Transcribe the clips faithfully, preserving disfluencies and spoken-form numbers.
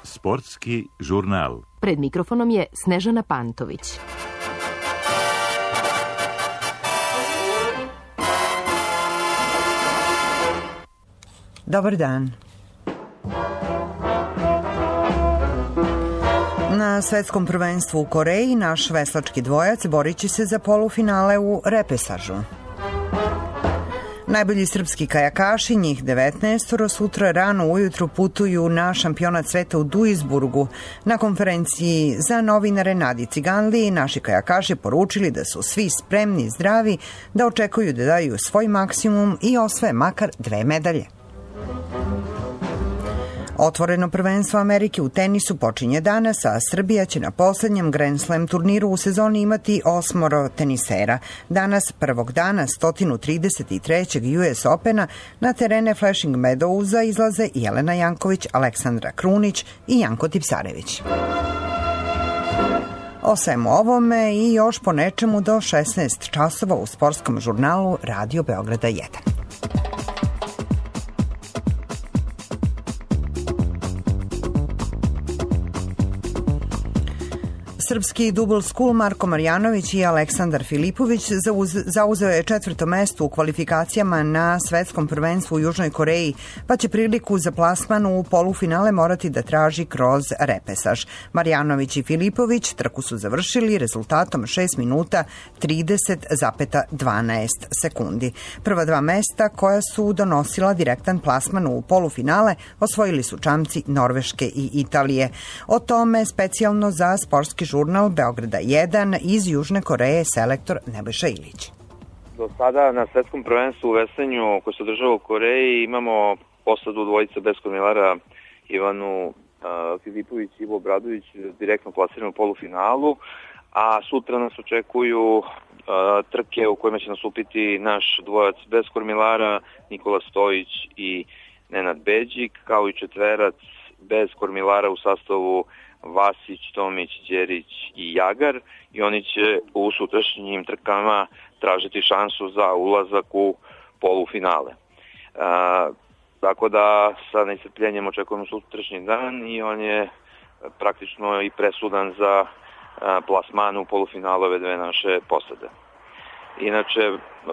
Sportski žurnal. Pred mikrofonom je Snežana Pantović. Dobar dan. Na svetskom prvenstvu u Koreji naš veslački dvojac borit će se za polufinale u repesažu. Najbolji srpski kajakaši, njih devetnaestoro, sutra rano ujutru putuju na šampionat sveta u Duisburgu. Na konferenciji za novinare Nadi Ciganli naši kajakaši poručili da su svi spremni i zdravi, da očekuju da daju svoj maksimum i osvoje makar dve medalje. Otvoreno prvenstvo Amerike u tenisu počinje danas, a Srbija će na poslednjem Grand Slam turniru u sezoni imati osmoro tenisera. Danas, prvog dana sto trideset trećeg U S Opena, na terene Flushing Meadowsa izlaze Jelena Janković, Aleksandra Krunić i Janko Tipsarević. O svemu ovome i još po nečemu do šesnaest časova u sportskom žurnalu Radio Beograda jedan. Srpski double school Marko Marjanović i Aleksandar Filipović zauzeo je četvrto mesto u kvalifikacijama na svetskom prvenstvu u Južnoj Koreji, pa će priliku za plasman u polufinale morati da traži kroz repesaž. Marjanović i Filipović trku su završili rezultatom šest minuta trideset zarez dvanaest sekundi. Prva dva mesta koja su donosila direktan plasman u polufinale osvojili su čamci Norveške i Italije. O tome specijalno za sportski žurnal Beograda jedan iz Južne Koreje selektor Nebojša Ilić. Do sada na svetskom prvenstvu u veslanju koje se održava u Koreji imamo posadu dvojica bez kormilara Ivanu uh, Filipović i Ivo Obradović direktno plasirani u polufinalu, a sutra nas očekuju uh, trke u kojima će nastupiti naš dvojac bez kormilara Nikola Stojić i Nenad Beđik, kao i četverac bez kormilara u sastavu Vasić, Tomić, Đerić i Jagar, i oni će u sutrašnjim trkama tražiti šansu za ulazak u polufinale. A, tako da sa nestrpljenjem očekujemo sutrašnji dan i on je praktično i presudan za a, plasman u polufinalu ove dve naše posade. Inače,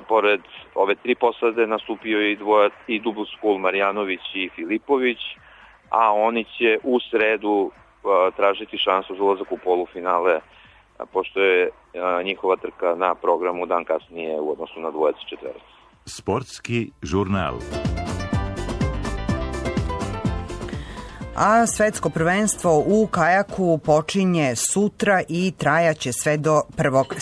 pored ove tri posade nastupio i, dvoja, i double school Marjanović i Filipović, a oni će u sredu tražiti šansu za ulazak u polufinale, pošto je njihova trka na programu dan kasnije u odnosu na dvojac i četverac. Sportski žurnal. A svetsko prvenstvo u kajaku počinje sutra i trajaće sve do prvog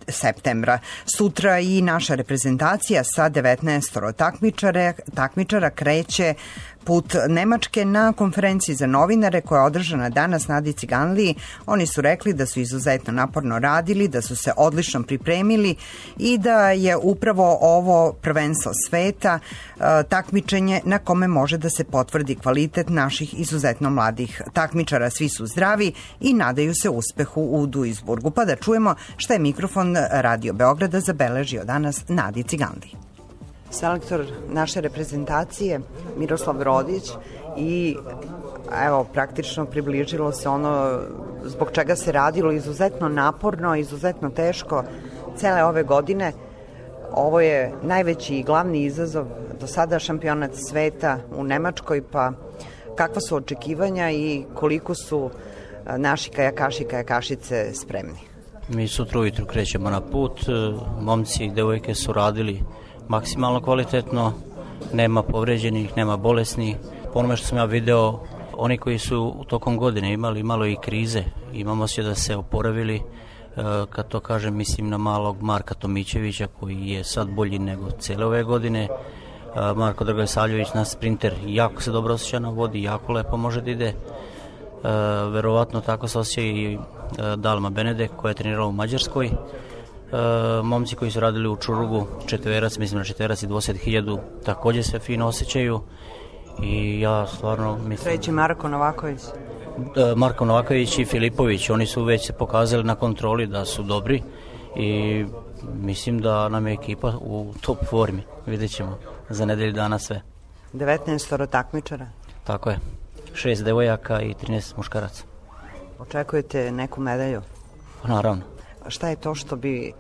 septembra. Sutra i naša reprezentacija sa devetnaestoro takmičara, takmičara kreće put Nemačke. Na konferenciji za novinare koja je održana danas Nadi Ciganliji, oni su rekli da su izuzetno naporno radili, da su se odlično pripremili i da je upravo ovo prvenstvo sveta takmičenje na kome može da se potvrdi kvalitet naših izuzetno mladih takmičara. Svi su zdravi i nadaju se uspehu u Duisburgu. Pa da čujemo šta je mikrofon Radio Beograda zabeležio danas Nadi Ciganliji. Selektor naše reprezentacije Miroslav Rodić i evo praktično približilo se ono zbog čega se radilo izuzetno naporno, izuzetno teško cele ove godine. Ovo je najveći i glavni izazov do sada, šampionat sveta u Nemačkoj, pa kakva su očekivanja i koliko su naši kajakaši i kajakašice spremni? Mi sutra ujutru krećemo na put, momci i devojke su radili maksimalno kvalitetno, nema povređenih, nema bolesnih. Po onome što sam ja video, oni koji su u tokom godine imali malo i krize, imamo se da se oporavili, kad to kažem mislim na malog Marka Tomićevića koji je sad bolji nego cele ove godine. Marko Dragosavljević, naš sprinter, jako se dobro osjeća na vodi, jako lepo može da ide. Verovatno tako se osjeća i Dalma Benedek koja je trenirala u Mađarskoj. E, momci koji su radili u Čurugu, četverac, mislim na četverac i dvadeset hiljada, također se fino osjećaju i ja stvarno mislim... Treći Marko Novaković. E, Marko Novaković i Filipović, oni su već se pokazali na kontroli da su dobri i mislim da nam je ekipa u top formi. Vidjet ćemo za nedelju dana sve. devetnaestoro takmičara? Tako je. šest devojaka i trinaest muškaraca. Očekujete neku medalju? Pa naravno. Šta je to što bi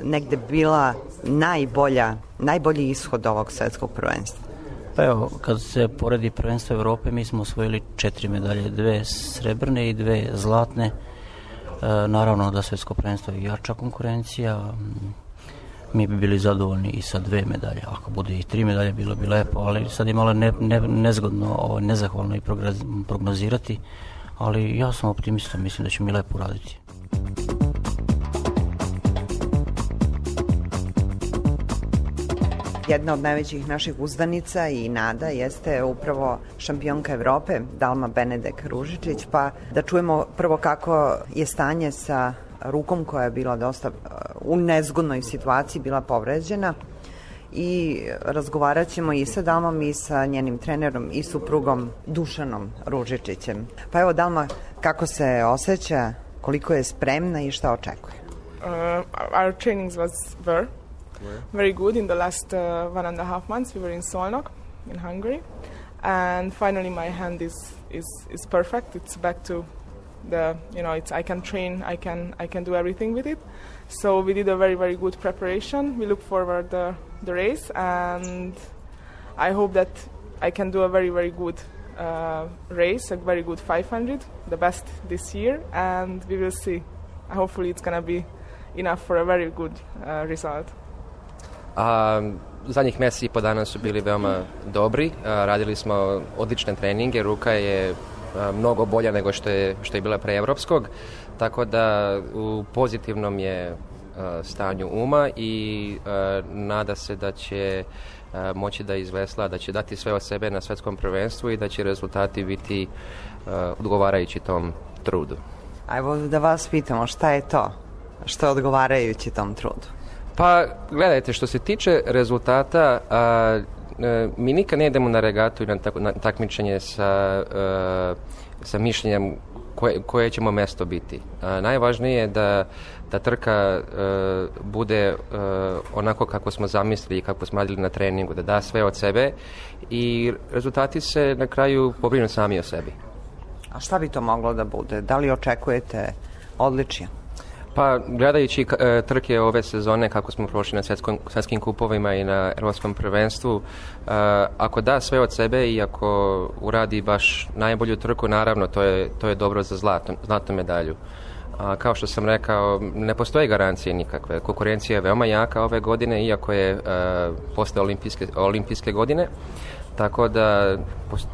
negde bila najbolja, najbolji ishod ovog svetskog prvenstva? Pa evo, kad se poredi prvenstvo Evrope, mi smo osvojili četiri medalje, dve srebrne i dve zlatne. E, naravno da svetsko prvenstvo je jača konkurencija. Mi bi bili zadovoljni i sa dve medalje. Ako bude i tri medalje, bilo bi lepo, ali sad je malo ne, ne, nezgodno, ovo, nezahvalno i prognozirati. Ali ja sam optimista, mislim da će mi lepo uraditi. Jedna od najvećih naših uzdanica i nada jeste upravo šampionka Evrope, Dalma Benedek Ružičić, pa da čujemo prvo kako je stanje sa rukom koja je bila dosta u nezgodnoj situaciji, bila povređena, i razgovarat ćemo i sa Dalmom i sa njenim trenerom i suprugom Dušanom Ružičićem. Pa evo, Dalma, kako se osjeća, koliko je spremna i šta očekuje? Uh, our trainings was were very good in the last uh, one and a half months. We were in Szolnok in Hungary, and finally my hand is is is perfect. It's back to the, you know, it's I can train, I can I can do everything with it. So we did a very very good preparation. We look forward the the race, and I hope that I can do a very very good uh, race, a very good five hundred, the best this year, and we will see. Hopefully it's gonna be enough for a very good uh, result. A, zadnjih mjeseci i po dana su bili veoma dobri, a, radili smo odlične treninge, ruka je a, mnogo bolja nego što je, što je bila pre evropskog, tako da u pozitivnom je a, stanju uma i a, nada se da će a, moći da izvesla, da će dati sve od sebe na svetskom prvenstvu i da će rezultati biti a, odgovarajući tom trudu. Ajmo da vas pitamo, šta je to što je odgovarajući tom trudu? Pa, gledajte, što se tiče rezultata, a, a, mi nikad ne idemo na regatu i na, tak, na takmičenje sa, a, sa mišljenjem koje, koje ćemo mesto biti. A, najvažnije je da, da trka a, bude a, onako kako smo zamislili i kako smo radili na treningu, da da sve od sebe i rezultati se na kraju pobrinu sami o sebi. A šta bi to moglo da bude? Da li očekujete odličje? Pa, gledajući e, trke ove sezone, kako smo prošli na svetskom, svetskim kupovima i na evropskom prvenstvu, e, ako da sve od sebe i ako uradi baš najbolju trku, naravno, to je, to je dobro za zlato, zlatnu medalju. A, kao što sam rekao, ne postoje garancije nikakve. Konkurencija je veoma jaka ove godine, iako je e, posle olimpijske, olimpijske godine, tako da post,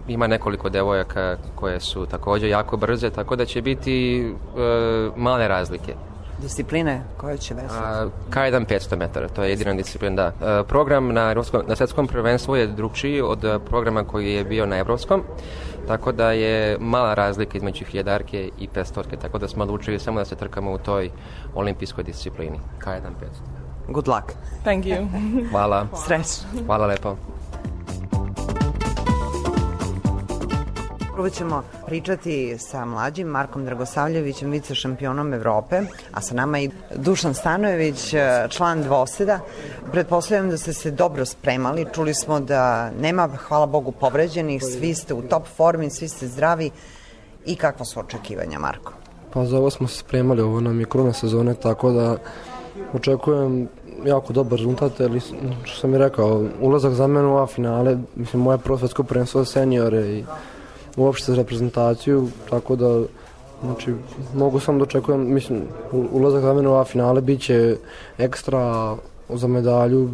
ima nekoliko devojaka koje su također jako brze, tako da će biti e, male razlike. Discipline koje će vesati? K jedan petsto metara, to je jedina disciplina, da. E, program na, na svetskom prvenstvu je drugčiji od programa koji je bio na evropskom, tako da je mala razlika između hiljadarke i petstotke, tako da smo odlučili samo da se trkamo u toj olimpijskoj disciplini. K jedan petsto. Good luck. Thank you. Hvala. Srećno. Hvala lepo. Prvo ćemo pričati sa mlađim Markom Dragosavljevićem, vice šampionom Evrope, a sa nama i Dušan Stanojević, član dvoseda. Pretpostavljam da ste se dobro spremali, čuli smo da nema, hvala Bogu, povređenih, svi ste u top formi, svi ste zdravi. I kakva su očekivanja, Marko? Pa za ovo smo se spremali, ovo nam je kruna sezone, tako da očekujem jako dobar rezultat, ali što sam i rekao, ulazak za mene u A finale, mislim, moje prvo svetsko prvenstvo za seniore i uopšte za reprezentaciju, tako da, znači, mogu sam da očekujem, mislim, ulazak za mene u A finale bit će ekstra za medalju,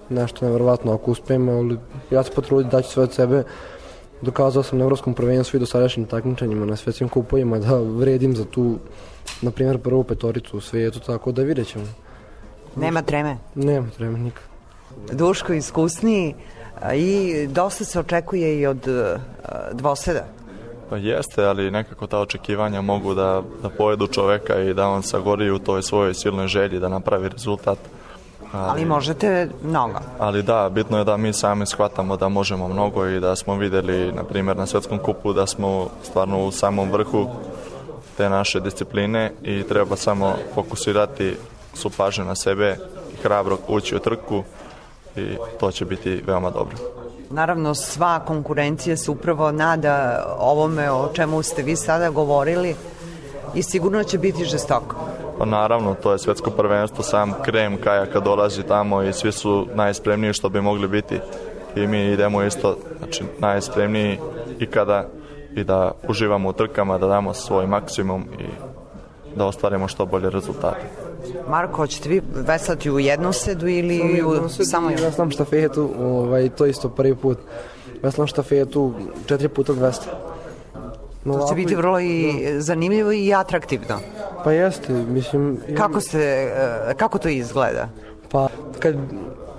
nešto nevjerovatno ako uspijem, ali ja se potrudim da ću sve od sebe. Dokazao sam na evropskom prvenstvu i do sadašnjim takmičenjima na svetskim kupovima da vredim za tu, na primjer, prvu petoricu u svijetu, tako da vidjet ćemo. Nema treme? Nema treme, nikad. Duško iskusniji i dosta se očekuje i od uh, dvoseda. Pa jeste, ali nekako ta očekivanja mogu da, da pojedu čoveka i da on sagori u toj svojoj silnoj želji da napravi rezultat. Ali, ali možete mnogo. Ali da, bitno je da mi sami shvatamo da možemo mnogo i da smo videli, na primjer, na svetskom kupu da smo stvarno u samom vrhu te naše discipline i treba samo fokusirati su pažnju na sebe i hrabro ući u trku i to će biti veoma dobro. Naravno, sva konkurencija se upravo nada ovome o čemu ste vi sada govorili i sigurno će biti žestoko. Pa naravno, to je svetsko prvenstvo, sam krem kajaka dolazi tamo i svi su najspremniji što bi mogli biti i mi idemo isto, znači najspremniji i kada i da uživamo u trkama, da damo svoj maksimum i da ostvarimo što bolje rezultate. Marko, hoćete vi veslati u jednosedu ili u samo jednu? Veslam štafetu, ovaj, to isto prvi put. Veslam štafetu četiri puta dvesta. No, to će biti vrlo i zanimljivo i atraktivno. Pa jeste, mislim... Kako, se, kako to izgleda? Pa, kad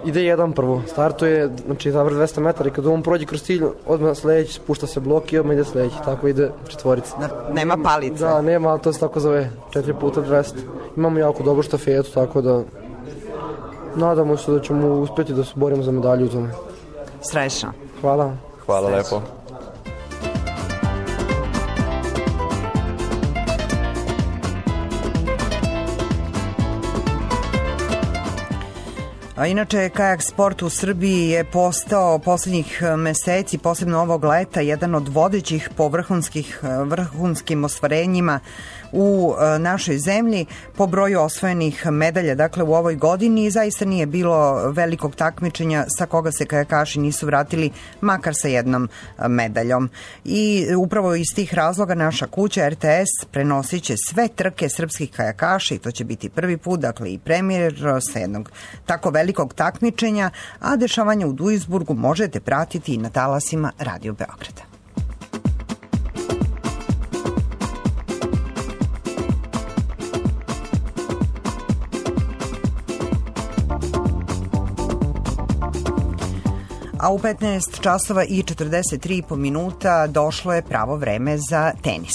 ide jedan prvo, startuje, znači zavr dvesta metara i kad on prođe kroz cilj, odmah sledeći, spušta se blok i odmah ide sledeći, tako ide četvorica. Nema palice? Da, nema, ali to se tako zove, četiri puta dvesta. Imamo jako dobru štafetu, tako da nadamo se da ćemo uspjeti da se borimo za medalju u tome. Srećno. Hvala. Hvala Srećno. lepo. A inače, kajak sport u Srbiji je postao posljednjih meseci, posebno ovog leta, jedan od vodećih po vrhunskih, vrhunskim ostvarenjima u našoj zemlji po broju osvojenih medalja, dakle u ovoj godini, i zaista nije bilo velikog takmičenja sa koga se kajakaši nisu vratili makar sa jednom medaljom. I upravo iz tih razloga naša kuća R T S prenosit će sve trke srpskih kajakaša i to će biti prvi put, dakle i premijer sa jednog tako velikog takmičenja, a dešavanje u Duisburgu možete pratiti i na talasima Radio Beograda. A u petnaest časova i četrdeset tri i po minuta došlo je pravo vreme za tenis.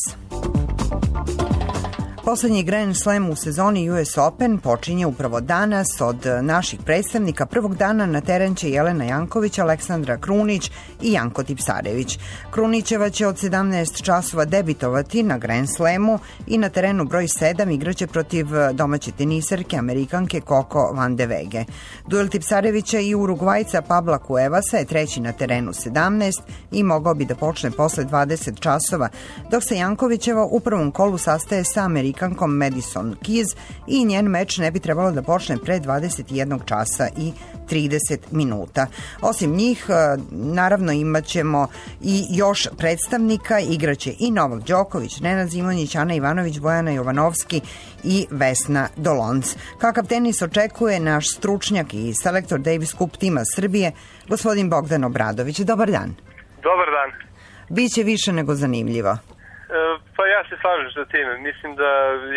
Poslednji Grand Slam u sezoni U S Open počinje upravo danas. Od naših predstavnika prvog dana na teren će Jelena Janković, Aleksandra Krunić i Janko Tipsarević. Krunićeva će od sedamnaest časova debitovati na Grand Slamu i na terenu broj sedam igraće protiv domaće teniserke Amerikanke Coco van de Wege. Duel Tipsarevića i Urugvajca Pabla Cuevasa je treći na terenu sedamnaest i mogao bi da počne posle dvadeset časova, dok se Jankovićeva u prvom kolu sastaje sa Amerikankom Madison Keys i njen meč ne bi trebalo da počne pre dvadeset jedan časa i trideset minuta. Osim njih, naravno imat ćemo i još predstavnika, igraće i Novak Đoković, Nenad Zimonjić, Ana Ivanović, Bojana Jovanovski i Vesna Dolonc. Kakav tenis očekuje naš stručnjak i selektor Davis Cup tima Srbije, gospodin Bogdan Obradović. Dobar dan. Dobar dan. Biće više nego zanimljivo. Pa ja se slažem sa tim. Mislim da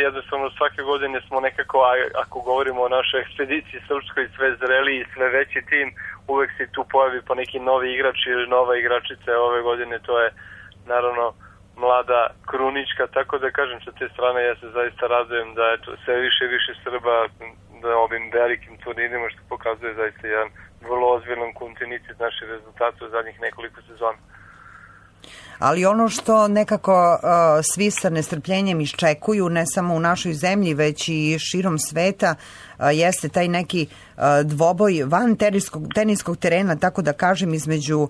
jednostavno svake godine smo nekako, ako govorimo o našoj ekspediciji srpskoj, sve zreli i sve veći tim, uvek se tu pojavi po neki novi igrač ili nova igračica. Ove godine to je naravno mlada Krunićka, tako da kažem sa te strane ja se zaista radujem da je to sve više i više Srba da ovim velikim turnirima, što pokazuje zaista jedan vrlo ozbiljan kontinuitet naših rezultata u zadnjih nekoliko sezona. Ali ono što nekako uh, svi sa nestrpljenjem iščekuju, ne samo u našoj zemlji, već i širom sveta, uh, jeste taj neki uh, dvoboj van teniskog, teniskog terena, tako da kažem, između uh,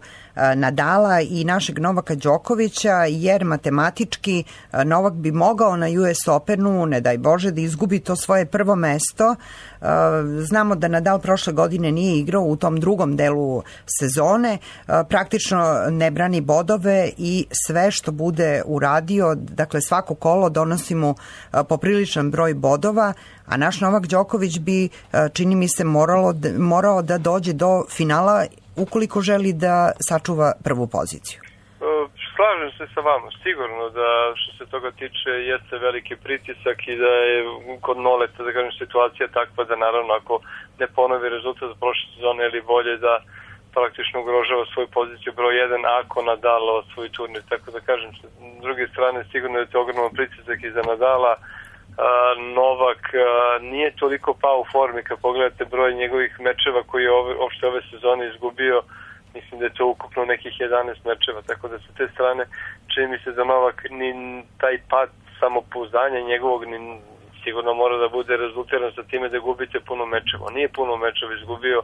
Nadala i našeg Novaka Đokovića, jer matematički uh, Novak bi mogao na U S Openu, ne daj Bože, da izgubi to svoje prvo mesto. Uh, znamo da Nadal prošle godine nije igrao u tom drugom delu sezone, uh, praktično ne brani bodove i sve što bude uradio, dakle svako kolo donosi mu popriličan broj bodova, a naš Novak Đoković bi, čini mi se, moralo, morao da dođe do finala ukoliko želi da sačuva prvu poziciju. Slažem se sa vama, sigurno da što se toga tiče jeste veliki pritisak i da je kod Noleta, da kažem, situacija takva da naravno ako ne ponovi rezultat za prošle sezone ili bolje da praktično ugrožava svoju poziciju broj jedan ako Nadal svoj turnir, tako da kažem, s druge strane sigurno je to ogroman pritisak i za Nadala. Novak nije toliko pao u formi, kad pogledate broj njegovih mečeva koji je ove, opšte ove sezone izgubio, mislim da je to ukupno nekih jedanaest mečeva, tako da sa te strane čini mi se da Novak ni taj pad samopouzdanja njegovog ni sigurno mora da bude rezultiran sa time da gubite puno mečeva. Nije puno mečeva izgubio,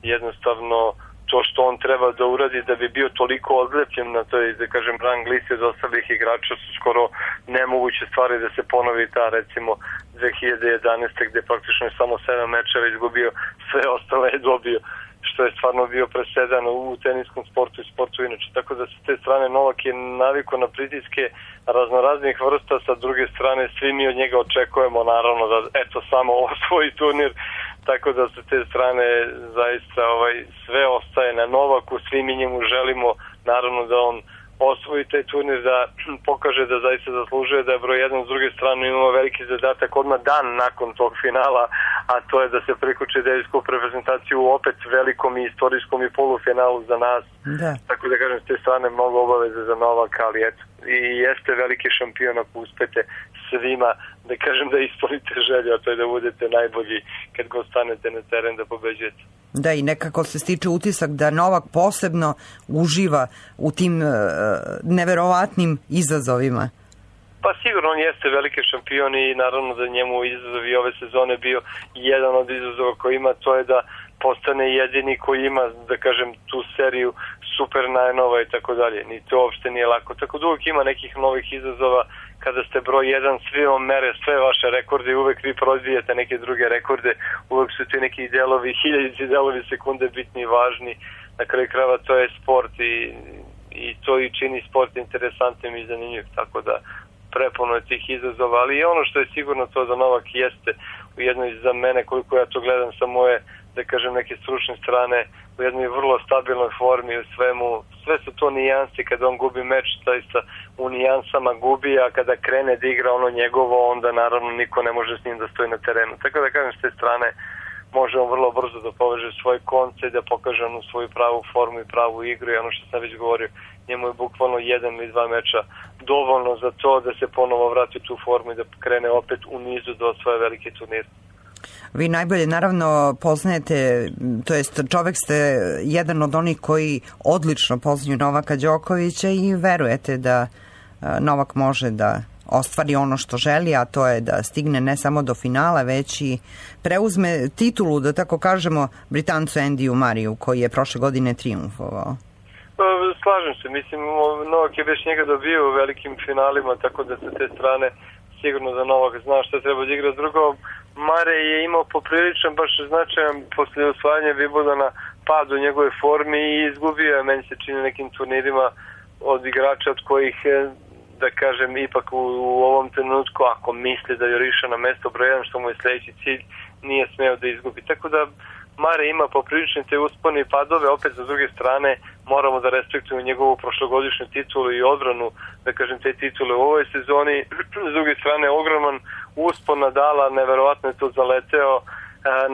jednostavno to što on treba da uradi da bi bio toliko odlepljen na toj, da kažem, rang listi od ostalih igrača su skoro nemoguće stvari da se ponovi ta, recimo, dve hiljade jedanaeste gde praktično je samo sedam mečeva izgubio, sve ostale je dobio, što je stvarno bio presedan u teniskom sportu i sportu inače. Tako da sa te strane Novak je naviko na pritiske raznoraznih vrsta, sa druge strane svi mi od njega očekujemo naravno da eto samo osvoji turnir, tako da sa te strane zaista ovaj, sve ostaje na Novaku, svi mi njemu želimo naravno da on osvoji taj turnir, da pokaže da zaista zaslužuje da je broj jedan. S druge strane imamo veliki zadatak odmah dan nakon tog finala, a to je da se prikuči Davis Cup reprezentaciju u opet velikom i istorijskom i polufinalu za nas. Da. Tako da kažem, s te strane mnogo obaveze za Novaka, ali eto, i jeste veliki šampion ako uspete svima, da kažem da ispunite želju, a to je da budete najbolji kad god stanete na teren da pobeđujete. Da, i nekako se stiče utisak da Novak posebno uživa u tim uh, neverovatnim izazovima. Pa sigurno on jeste veliki šampion i naravno da njemu izazov i ove sezone bio jedan od izazova koji ima, to je da postane jedini koji ima, da kažem, tu seriju Super Nine-ova i tako dalje. Ni to uopšte nije lako. Tako da uvijek ima nekih novih izazova kada ste broj jedan, svi vam mere sve vaše rekorde i uvek vi prozbijete neke druge rekorde, uvek su ti neki delovi, hiljadici delovi sekunde bitni i važni. Na kraju krajeva to je sport i, i to i čini sport interesantnim i zanimljiv, tako da prepuno je tih izazova, ali i ono što je sigurno to da Novak jeste u jednoj, za mene koliko ja to gledam sa moje, da kažem, neke stručne strane, u jednoj vrlo stabilnoj formi u svemu, sve su to nijansi, kada on gubi meč, zaista u nijansama gubi, a kada krene da igra ono njegovo, onda naravno niko ne može s njim da stoji na terenu. Tako da kažem, s te strane može on vrlo brzo da poveže svoj konce i da pokaže onu svoju pravu formu i pravu igru i ono što sam već govorio, njemu je bukvalno jedan ili dva meča dovoljno za to da se ponovo vrati u tu formu i da krene opet u nizu do svoje velike turnire. Vi najbolje naravno poznajete, to jest čovek ste jedan od onih koji odlično poznaju Novaka Đokovića i verujete da Novak može da ostvari ono što želi, a to je da stigne ne samo do finala, već i preuzme titulu, da tako kažemo, Britancu Andiju Mariju, koji je prošle godine triumfovao. Slažem se, mislim, Novak je već njega dobio u velikim finalima, tako da sa te strane sigurno da Novak zna šta treba da igra. Drugo, Mare je imao popriličan, baš značajan posle osvajanja Wimbledona pad u njegove formi i izgubio je, meni se čini, nekim turnirima od igrača od kojih, da kažem, ipak u, u ovom trenutku, ako misli da juriša na mesto broj jedan, što mu je sledeći cilj, nije smeo da izgubi. Tako da Mare ima poprilične te uspone i padove, opet sa druge strane moramo da respektujemo njegovu prošlogodišnju titulu i odbranu, da kažem, te titule u ovoj sezoni. S druge strane, ogroman uspon Nadala, neverovatno je to zaleteo,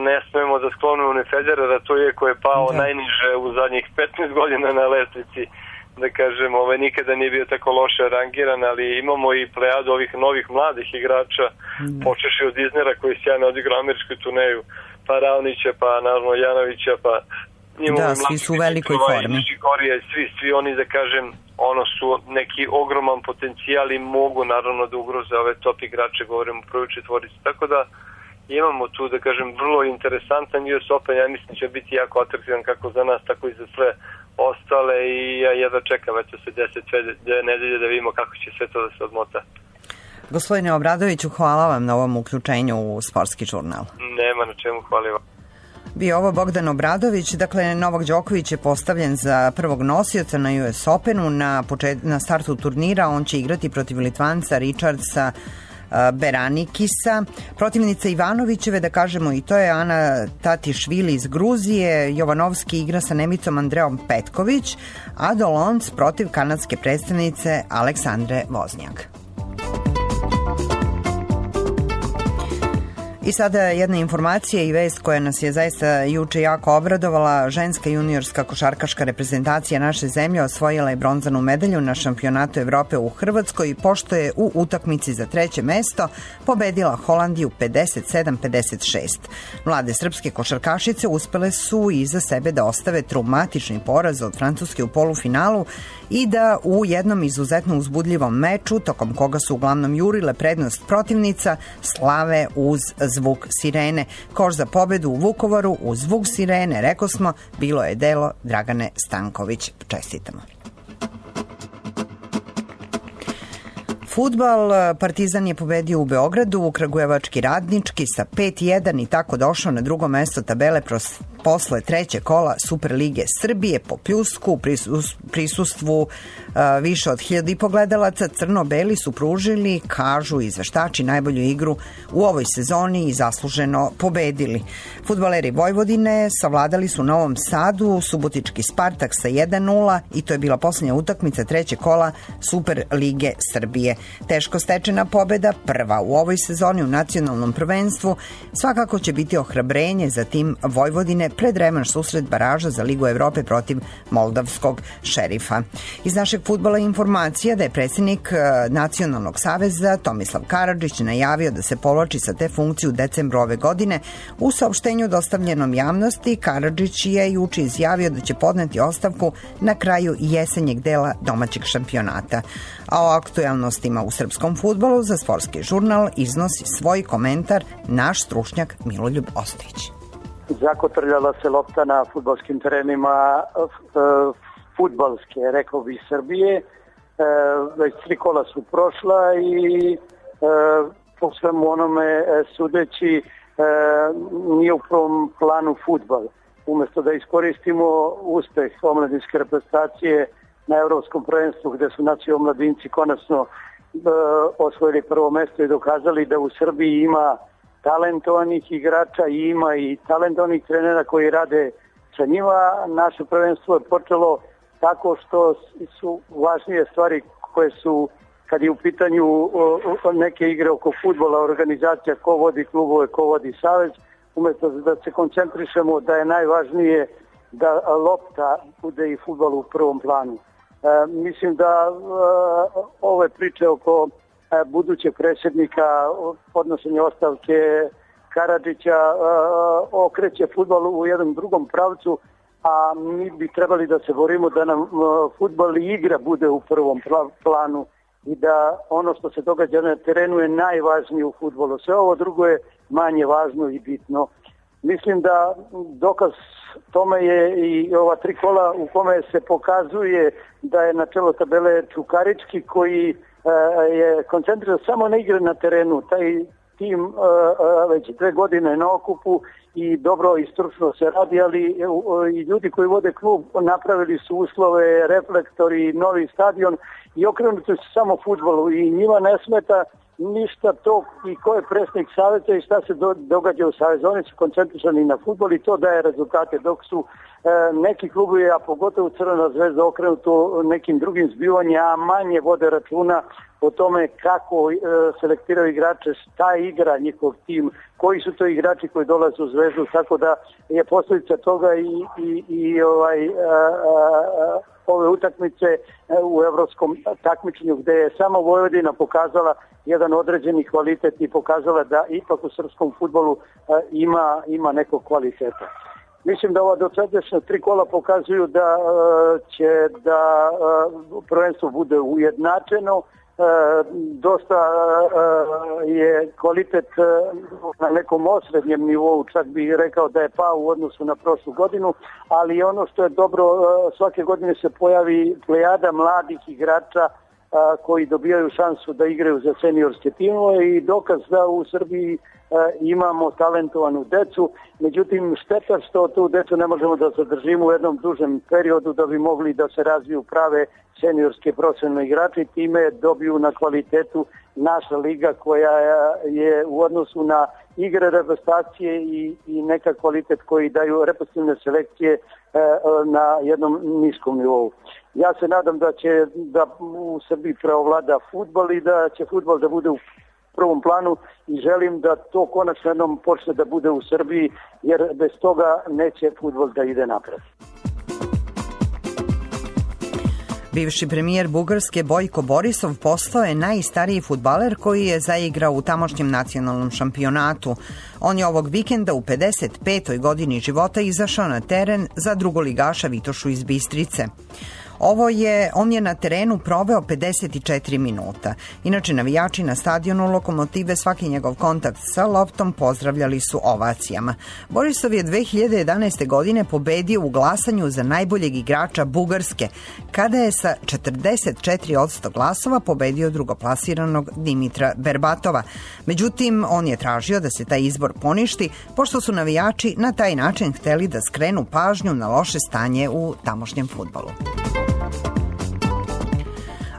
ne smemo da sklonimo ni Federera, to je ko je pao da. najniže u zadnjih petnaest godina na lestvici, da kažem, ovaj, nikada nije bio tako loše rangiran, ali imamo i plejadu ovih novih mladih igrača, da. počeši od Iznera koji sjajno odigrao američku turneju, pa Raonića, pa naravno Janovića, pa da, svi su u velikoj formi. Svi, svi oni, da kažem, ono su neki ogroman potencijal i mogu naravno da ugroze ove top igrače, govorimo o prvoj četvorici. Tako da imamo tu, da kažem, vrlo interesantan U S Open, ja mislim će biti jako atraktivan kako za nas, tako i za sve ostale i ja jedva čekam, eto se deset sve nedelje da vidimo kako će sve to da se odmota. Gospodine Obradoviću, hvala vam na ovom uključenju u Sportski žurnal. Nema na čemu, hvala vam. Bio ovo Bogdan Obradović, dakle Novak Đoković je postavljen za prvog nosioca na U S Openu na, počet, na startu turnira, on će igrati protiv Litvanca Richardsa Beranikisa. Protivnica Ivanovićeve, da kažemo i to je Ana Tatišvili iz Gruzije, Jovanovski igra sa Nemicom Andreom Petković, a Dolonc protiv kanadske predstavnice Aleksandre Voznjak. I sada jedna informacija i vest koja nas je zaista juče jako obradovala. Ženska juniorska košarkaška reprezentacija naše zemlje osvojila je bronzanu medalju na šampionatu Evrope u Hrvatskoj, pošto je u utakmici za treće mesto pobedila Holandiju pedeset sedam pedeset šest. Mlade srpske košarkašice uspele su iza sebe da ostave traumatični poraz od Francuske u polufinalu i da u jednom izuzetno uzbudljivom meču, tokom koga su uglavnom jurile prednost protivnica, slave uz zvuk sirene. Koš za pobedu u Vukovaru uz zvuk sirene, reko smo, bilo je delo Dragane Stanković. Čestitamo. Fudbal, Partizan je pobedio u Beogradu, Kragujevački Radnički sa pet jedan i tako došao na drugo mesto tabele posle treće kola Superlige Srbije po pljusku, prisustvu više od hiljadu i po gledalaca. Crno-beli su pružili, kažu izveštači, najbolju igru u ovoj sezoni i zasluženo pobedili. Fudbaleri Vojvodine savladali su u Novom Sadu Subotički Spartak sa jedan nula i to je bila posljednja utakmica treće kola Superlige Srbije. Teško stečena pobeda, prva u ovoj sezoni u nacionalnom prvenstvu, svakako će biti ohrabrenje za tim Vojvodine pred revanš susret baraža za Ligu Evrope protiv Moldavskog Šerifa. Iz našeg fudbala informacija da je predsjednik Nacionalnog saveza Tomislav Karadžić najavio da se povlači sa te funkcije u decembru ove godine. U saopštenju dostavljenom javnosti Karadžić je juče izjavio da će podneti ostavku na kraju jesenjeg dela domaćeg šampionata. A o aktuelnostima u srpskom fudbalu za Sportski žurnal iznosi svoj komentar naš stručnjak Miloljub Ostojić. Zakotrljala se lopta na fudbalskim terenima fudbalske, rekao bi, Srbije. Već tri kola su prošla i po svemu onome sudeći nije u prvom planu fudbal. Umesto da iskoristimo uspeh omladinske reprezentacije na evropskom prvenstvu gde su naši omladinci konačno osvojili prvo mesto i dokazali da u Srbiji ima talentovanih igrača i ima i talentovanih trenera koji rade sa njima. Naše prvenstvo je počelo tako što su važnije stvari koje su, kad je u pitanju neke igre oko fudbala, organizacija, ko vodi klubove, ko vodi savez, umjesto da se koncentrišemo da je najvažnije da lopta bude i fudbal u prvom planu. E, mislim da e, ove priče oko e, budućeg predsjednika, podnošenja ostavke Karadžića e, okreće fudbal u jednom drugom pravcu, a mi bi trebali da se borimo da nam e, fudbal i igra bude u prvom planu i da ono što se događa na terenu je najvažnije u fudbalu. Sve ovo drugo je manje važno i bitno. Mislim da dokaz tome je i ova tri kola u kome se pokazuje da je na čelo tabele Čukarički koji e, je koncentriran samo na igre na terenu. Taj tim e, već dve godine na okupu i dobro i stručno se radi, ali e, i ljudi koji vode klub napravili su uslove, reflektori, novi stadion i okrenuti su samo fudbalu i njima ne smeta ništa to i ko je predsjednik saveza i šta se do, događa u savezu. Oni su koncentrisani na fudbal i to daje rezultate, dok su e, neki klubovi, a pogotovo Crvena zvezda, okrenuto nekim drugim zbivanjima, a manje vode računa o tome kako e, selektiraju igrače, šta igra njihov tim, koji su to igrači koji dolaze u Zvezdu, tako da je posljedica toga i, i, i ovaj, a, a, ove utakmice u evropskom takmičenju gde je samo Vojvodina pokazala jedan određeni kvalitet i pokazala da ipak u srpskom fudbalu a, ima, ima nekog kvaliteta. Mislim da ova dosadašnja tri kola pokazuju da a, će da a, prvenstvo bude ujednačeno. E, dosta e, je kvalitet e, na nekom osrednjem nivou, čak bih rekao da je pao u odnosu na prošlu godinu, ali ono što je dobro, e, svake godine se pojavi plejada mladih igrača e, koji dobijaju šansu da igraju za seniorske timove i dokaz da u Srbiji e, imamo talentovanu decu. Međutim, šteta što tu decu ne možemo da zadržimo u jednom dužem periodu da bi mogli da se razviju prave seniorske profesionalne igrače i time dobiju na kvalitetu naša liga koja je u odnosu na igre reprezentacije i, i neka kvalitet koji daju reprezentativne selekcije e, na jednom niskom nivou. Ja se nadam da će da u Srbiji preovlada fudbal i da će fudbal da bude u prvom planu i želim da to konačno jednom počne da bude u Srbiji, jer bez toga neće fudbal da ide napred. Bivši premijer Bugarske Bojko Borisov postao je najstariji fudbaler koji je zaigrao u tamošnjem nacionalnom šampionatu. On je ovog vikenda u pedeset petoj godini života izašao na teren za drugoligaša Vitošu iz Bistrice. Ovo je, on je na terenu proveo pedeset četiri minuta. Inače, navijači na stadionu Lokomotive svaki njegov kontakt sa loptom pozdravljali su ovacijama. Borisov je dve hiljade jedanaeste. godine pobedio u glasanju za najboljeg igrača Bugarske, kada je sa četrdeset četiri posto glasova pobedio drugoplasiranog Dimitra Berbatova. Međutim, on je tražio da se taj izbor poništi, pošto su navijači na taj način hteli da skrenu pažnju na loše stanje u tamošnjem fudbalu.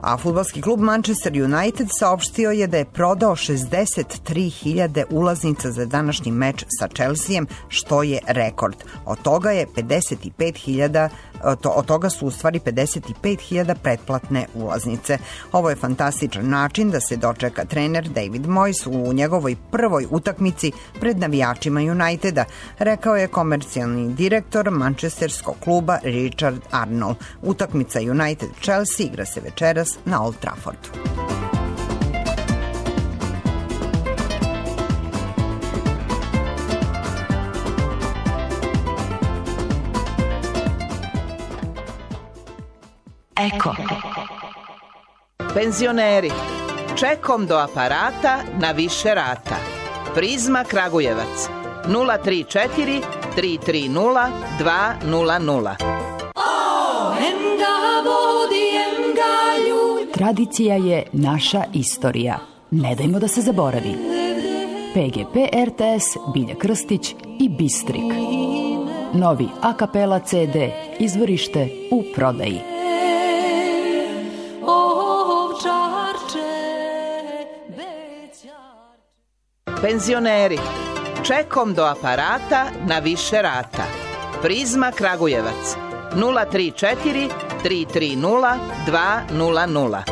A fudbalski klub Manchester United saopštio je da je prodao šezdeset tri hiljade ulaznica za današnji meč sa Chelseajem, što je rekord. Od toga je pedeset pet hiljada, od toga su u stvari pedeset pet hiljada pretplatne ulaznice. Ovo je fantastičan način da se dočeka trener David Moyes u njegovoj prvoj utakmici pred navijačima Uniteda, rekao je komercijalni direktor manchesterskog kluba Richard Arnold. Utakmica United-Chelsea igra se večeras na Old Traffordu. Eko. Penzioneri, čekom do aparata na više rata. Prizma Kragujevac nula tri četiri tri tri nula dva nula nula. Tradicija je naša istorija. Ne dajmo da se zaboravi. P G P R T S, Bilja Krstić i Bistrik. Novi a kapela C D, izvorište u prodaji. Penzioneri, čekom do aparata na više rata. Prizma Kragujevac nula tri četiri tri tri nula dva nula nula.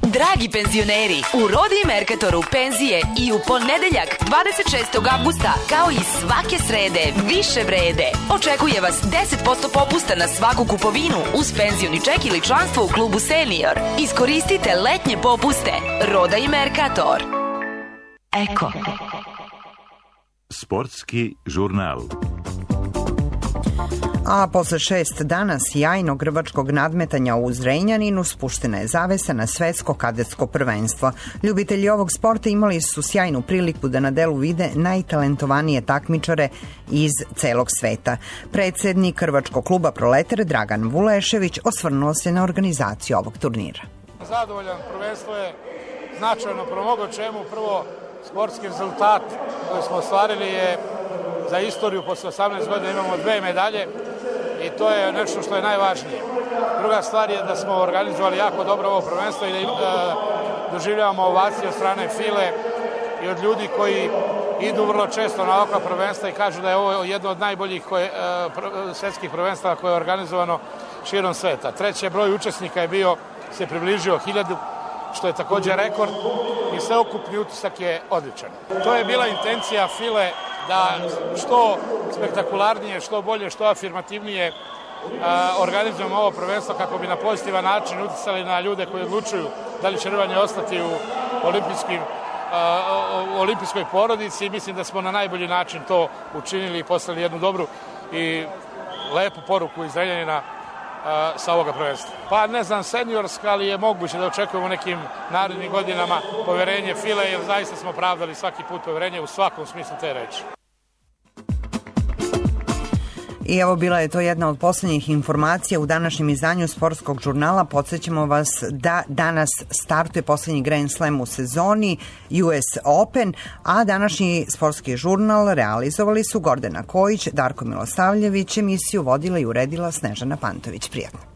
Dragi penzioneri, u Rodi Mercatoru penzije i u ponedeljak dvadeset šestog avgusta, kao i svake srede, više vrede. Očekuje vas deset posto popusta na svaku kupovinu uz penzioni ček ili članstvo u klubu Senior. Iskoristite letnje popuste. Roda i Mercator. Eko. Sportski žurnal. A posle šest dana sjajnog grbačkog nadmetanja u Zrenjaninu spuštena je zavesa na svetsko kadetsko prvenstvo. Ljubitelji ovog sporta imali su sjajnu priliku da na delu vide najtalentovanije takmičare iz celog sveta. Predsednik Hrvačkog kluba Proletar Dragan Vulešević osvrnuo se na organizaciju ovog turnira. Zadovoljan, prvenstvo je značajno po mnogo čemu. Prvo, sportski rezultat koji smo ostvarili je za istoriju, posle osamnaest godina imamo dve medalje i to je nešto što je najvažnije. Druga stvar je da smo organizovali jako dobro ovo prvenstvo i da e, doživljavamo ovacije od strane File i od ljudi koji idu vrlo često na ovakva prvenstva i kažu da je ovo jedno od najboljih koje, e, svetskih prvenstava koje je organizovano širom sveta. Treći broj učesnika je bio, se približio hiljadu, što je također rekord i sveukupni utisak je odličan. To je bila intencija File da što spektakularnije, što bolje, što afirmativnije organizujemo ovo prvenstvo kako bi na pozitivan način uticali na ljude koji odlučuju da li će rvanje ostati u olimpijskim, u olimpijskoj porodici i mislim da smo na najbolji način to učinili i poslali jednu dobru i lepu poruku iz Zrenjanina sa ovoga prvenstva. Pa ne znam, seniorska, ali je moguće da očekujemo nekim narednim godinama poverenje File, jer zaista smo pravdali svaki put poverenje u svakom smislu te reči. I evo, bila je to jedna od poslednjih informacija u današnjem izdanju Sportskog žurnala. Podsećamo vas da danas startuje poslednji Grand Slam u sezoni U S Open, a današnji Sportski žurnal realizovali su Gordana Kojić, Darko Milosavljević, emisiju vodila i uredila Snežana Pantović. Prijatno.